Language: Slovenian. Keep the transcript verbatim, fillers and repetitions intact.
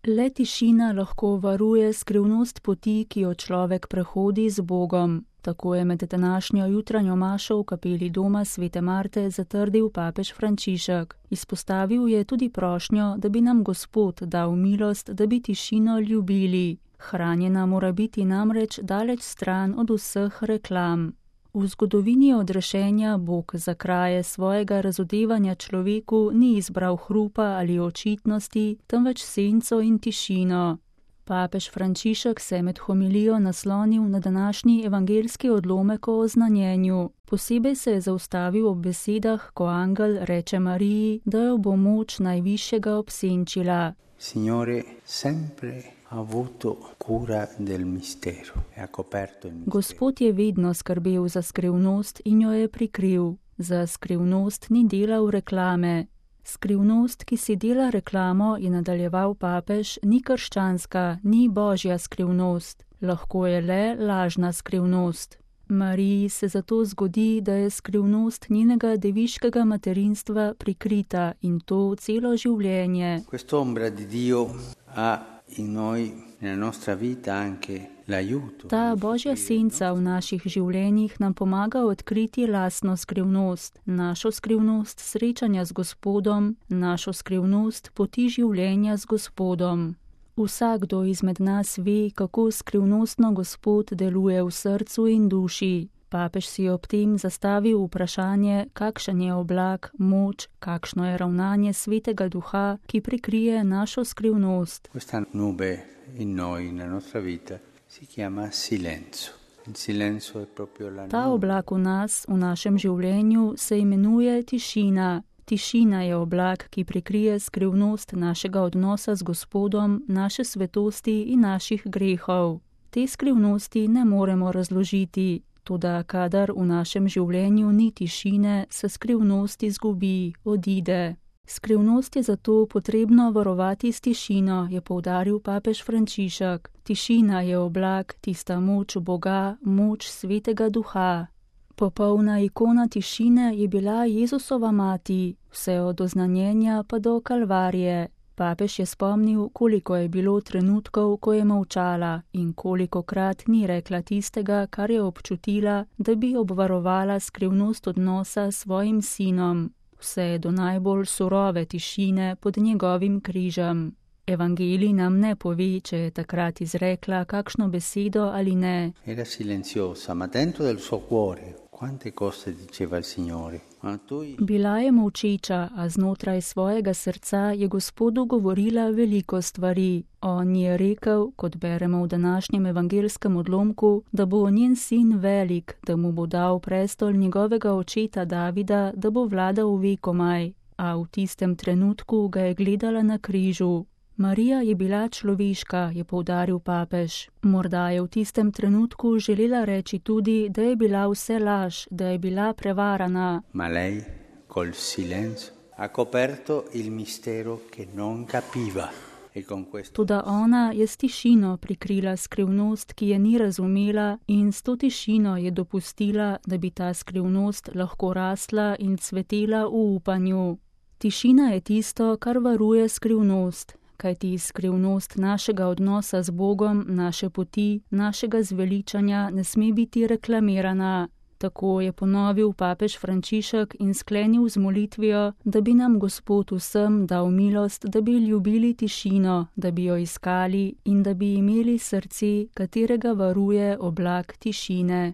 Le tišina lahko varuje skrivnost poti, ki jo človek prehodi z Bogom. Tako je med današnjo jutranjo mašo v kapeli doma svete Marte zatrdil papež Frančišek. Izpostavil je tudi prošnjo, da bi nam Gospod dal milost, da bi tišino ljubili. Hranjena mora biti namreč daleč stran od vseh reklam. V zgodovini odrešenja Bog za kraje svojega razodevanja človeku ni izbral hrupa ali očitnosti, temveč senco in tišino. Papež Frančišek se je med homilijo naslonil na današnji evangeljski odlomek o oznanjenju. Posebej se je zaustavil ob besedah, ko angel reče Mariji, da jo bo moč najvišjega obsenčila. Signore, sempre ha avuto cura del mistero e ha coperto il mistero. Gospod je vedno skrbel za skrivnost in jo je prikril. Za skrivnost ni delal reklame. Skrivnost, ki si dela reklamo, je nadaljeval papež, ni krščanska, ni božja skrivnost. Lahko je le lažna skrivnost. Mariji se zato zgodi, da je skrivnost njenega deviškega materinstva prikrita in to celo življenje. Quest'ombra di Dio ha in noi, nella nostra vita, anche l'aiuto. Ta božja senca v naših življenjih nam pomaga odkriti lastno skrivnost, našo skrivnost srečanja z Gospodom, našo skrivnost poti življenja z Gospodom. Vsakdo izmed nas ve, kako skrivnostno Gospod deluje v srcu in duši. Papež si ob tem zastavil vprašanje, kakšen je oblak, moč, kakšno je ravnanje svetega duha, ki prikrije našo skrivnost. Questa nube in noi, nella nostra vita, si chiama silenzio. Il silenzio è proprio la Ta nube. oblak v nas, v našem življenju, se imenuje tišina. Tišina je oblak, ki prikrije skrivnost našega odnosa z Gospodom, naše svetosti in naših grehov. Te skrivnosti ne moremo razložiti. Toda kadar v našem življenju ni tišine, se skrivnost izgubi, odide. Skrivnost je zato potrebno varovati s tišino, je poudaril papež Frančišek. Tišina je oblak, tista moč Boga, moč svetega duha. Popolna ikona tišine je bila Jezusova mati, vse od oznanjenja pa do Kalvarije. Papež je spomnil, koliko je bilo trenutkov, ko je molčala in kolikokrat ni rekla tistega, kar je občutila, da bi obvarovala skrivnost odnosa s svojim sinom. Vse do najbolj surove tišine pod njegovim križem. Evangelij nam ne pove, če je takrat izrekla kakšno besedo ali ne. Era silenziosa, ma dentro del suo cuore quante cose diceva il Signore. Ma tu Bila je molčeča, a znotraj svojega srca je Gospodu govorila veliko stvari. On je rekel, kot beremo v današnjem evangeljskem odlomku, da bo njen sin velik, da mu bo dal prestol njegovega očeta Davida, da bo vladal vekomaj. A v tistem trenutku ga je gledala na križu. Marija je bila človeška, je poudaril papež. Morda je v tistem trenutku želela reči tudi, da je bila vse laž, da je bila prevarana. Ma lei, col silenzio, ha coperto il mistero che non capiva. E con questo Toda ona je s tišino prikrila skrivnost, ki je ni razumela, in s to tišino je dopustila, da bi ta skrivnost lahko rasla in cvetela v upanju. Tišina je tisto, kar varuje skrivnost. Kajti skrivnost našega odnosa z Bogom, naše poti, našega zveličanja ne sme biti reklamirana. Tako je ponovil papež Frančišek in sklenil z molitvijo, da bi nam Gospod vsem dal milost, da bi ljubili tišino, da bi jo iskali in da bi imeli srce, katerega varuje oblak tišine.